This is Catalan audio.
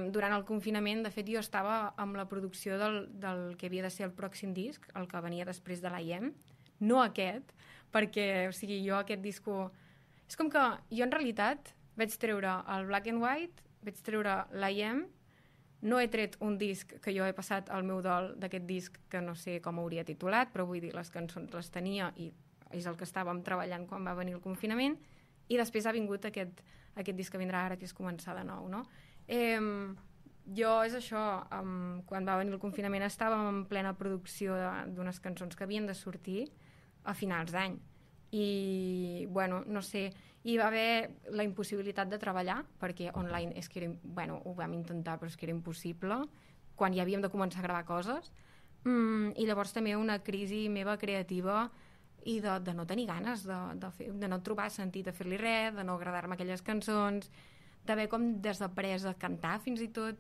Durant el confinament, de fet, jo estava amb la producció del que havia de ser el pròxim disc, el que venia després de l'IEM, no aquest, perquè, o sigui, jo aquest disco... És com que jo, en realitat, vaig treure el Black and White, vaig treure l'IEM, no he tret un disc que jo he passat al meu dol d'aquest disc, que no sé com hauria titulat, però vull dir, les cançons les tenia i és el que estàvem treballant quan va venir el confinament, i després ha vingut aquest disc que vindrà ara, que és començar de nou, no? Jo és això, quan va venir el confinament estàvem en plena producció d'unes cançons que havien de sortir a finals d'any i, bueno, no sé, hi va haver la impossibilitat de treballar perquè online és que era, bueno, ho vam intentar però és que era impossible quan ja havíem de començar a gravar coses i llavors també una crisi meva creativa i de no tenir ganes de no trobar sentit a fer-li res, de no agradar-me aquelles cançons, d'haver com desaprès a cantar fins i tot